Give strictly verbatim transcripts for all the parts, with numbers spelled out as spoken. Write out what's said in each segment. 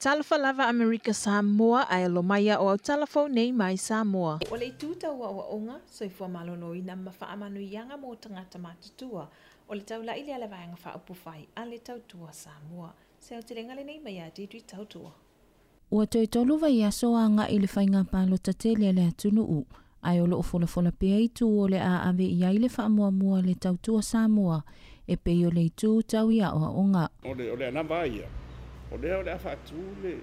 Talofa lava Amerika Samoa ae alo mai o au talafou nei mai Samoa. O le itu tau aoaoga, soifua maloloina ma faamanuiaga mo tagata matutua. O le taulai lea le vaega faaupufai a le Tautua Samoa. Se aotelega lenei mai ia Deirdre Tautua. Ua toe tolu vaiaso agai i le faiga palota tele a le atunuu, ae o loo folafola pea itu o le a ave i ai le faamuamua le Tautua Samoa e pei o le itu tau i aoaoga. O le, o le anava ia, o lea o le a faatu le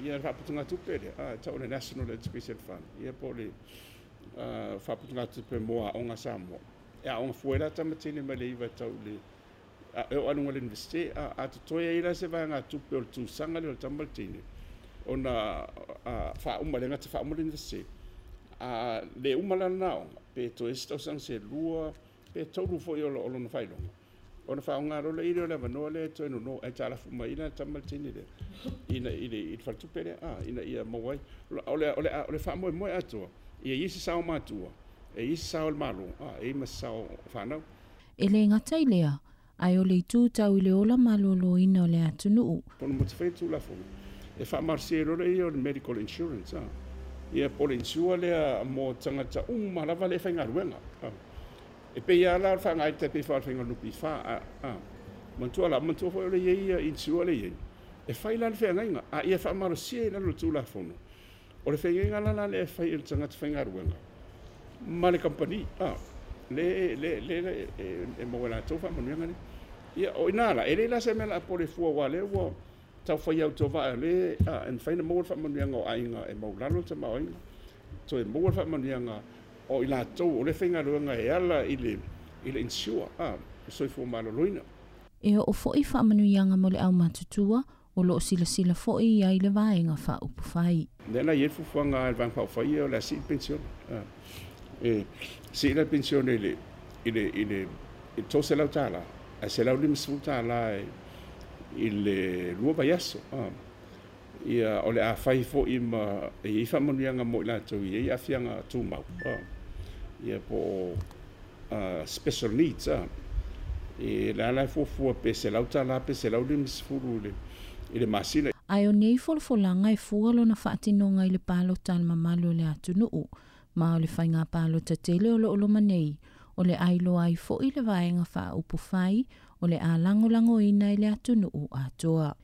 ia le faaputugatupe lea, a, tau o le National Education Fund, ia po o le uh, faaputugatupe mo aoga Samoa. E aoga fua la tamatini mai le iva tau le e o aluga le universite, a, a totoe ai la se vaegatupe o le tausaga lea o le tama le teine, ona faauma le gata faauma le universite. A le uma la lena aoga, pe toe isi tausaga se lua, pe tolu foi o lona faailoga, ona faaaoga loa lea o le avanoa lea e toe nono ae talafu mai ina tama le teine lea ina i le i le faletupe lea, a ina ia maua ai o le o le o le faamoemoe atoa ia i se sao matua e i se sao o le Malo, a e i ma se sao fanau. E le gata i lea, ae o le itu tau i le ola maloloina o le atunuu. Ona mo te fai Tulafono e faamalosia loa ia o le medical insurance, a ia po o le insure lea mo tagata uma lava le faigaluega. E pei lava la o le faagaita pei fa o le faiga o le N P F a, a manatua la manatua foi o le i ai ia insure le i ai e fai la le feagaiga a ia faamalosia i lalo o le Tulafono. O le feagaiga la la lea e fai e le tagata faigaluega ma le kamupani, a le le le e maua latou faamanuiaga nei. Ia o ina la e le la se mea la a pole fua ua lea ua tau fai au tovaa le a e mafai ona maua le faamanuiaga o aiga e maulalo le tamaoaiga toe maua le faamanuiaga o i latou o le faigaluega e ala i le i le insure, a soifua maloloina. E oo foi faamanuiaga mo le aumatutua o loo silasila foi i ai le vaega faaupufai. Lea la i ai le fuafuaga a le vaega faaupufai o le a sii le penisione. E sii la le penisione i le i le i le i le tolusefulu tala ae selau limasefulu tala i le lua vaiaso. Ia o le a fai foi ma e i ai faamanuiaga mo i latou i ai aafiaga tumau. Ia po o special needs, a e le ala e fuafua pe selau tala pe selau limasefulu i le i le masina. Ae o nei folafolaga e fua lona faatinoga i le palota a le mamalu o le atunuu, ma o le faiga palota tele o loo loma nei, o le ailoa ai foi le vaega faaupufai o le a lagolagoina i le atunuu atoa.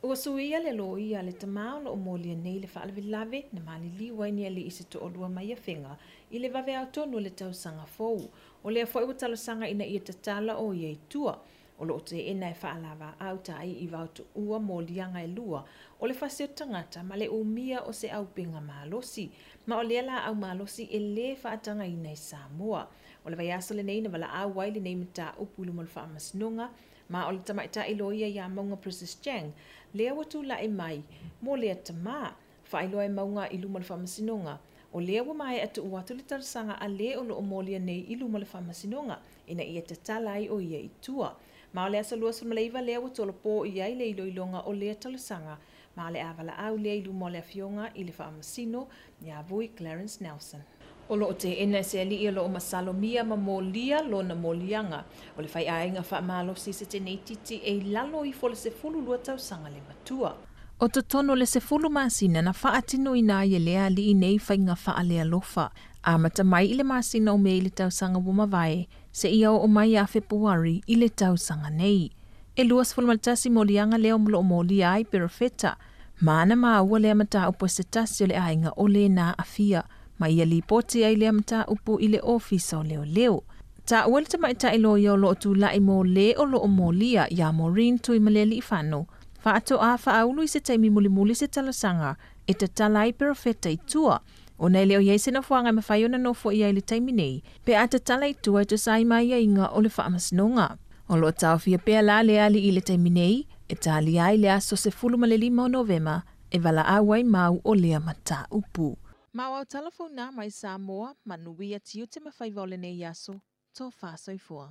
Ua suia le loia le tamā o loo molia nei le faalavelave na maliliu ai ni alii se toalua mai Afega i le vaveao tonu o le tausaga fou. O lea foi ua talosaga ina ia tatala o ia i tua. O loo teena e faalava au tai i vaotuua moliaga e lua o le fasi o tagata ma le umia o se aupenga malosi. Ma o lea la au malosi e le faatagaina i Samoa. O le vaiaso lenei na valaau ai lenei mataupu i luma o le faamasinoga ma o le tamaitai loia ia Mauga Princess Chang lea ua tulai mai mo lea tamā faailoa e Mauga i luma o le faamasinoga. O lea ua maea tuu atu le talosaga a le o loo molia nei i luma o le faamasinoga ina ia tatala ai o ia i tua. Ma o le aso lua sefulu ma le iva lea ua tolopo i ai le iloiloga o lea talosaga ma le a valaau lea i luma o le afioga i le faamasino ia Vui Clarence Nelson. O loo teena e se alii o loo masalomia ma molia lona moliaga o le faiaiga faamalosi se tenei titi e i lalo ifo le sefulu lua tausaga le matua. O totonu le sefulu masina na faatinoina ai e lea alii nei faiga faalealofa. Amata mai i le masina o Mei i le tausaga ua mavae, seia oo mai ia Fepuari i le tausaga nei. E luasefulu ma le tasi moliaga lea o loo molia ai Perofeta. Ma na maua lea mataupu e se tasi o le aiga o lena aafia. Ma ia lipoti ai lea mataupu i le ofisa o leoleo. Taua le tamaitai loia o loo tulai mo le o loo molia ia Maureen Tuimalealiifano. Faatoa faaulu i se taimi mulimuli se talosaga e tatala ai Perofeta i tua. Ona e le o iai se nofoaga e mafai ona nofo i ai le taimi nei, pe a tatala i tua e tusa ai ma aiaiga o le faamasinoga. O loo taofia pea la le alii i le taimi nei, e talia ai le aso sefulu ma le lima o Novema, e valaau ai mau o lea mataupu. Ma o au talafou nā mai Samoa, manuia tiute ma faiva o lenei aso, tofa soifua.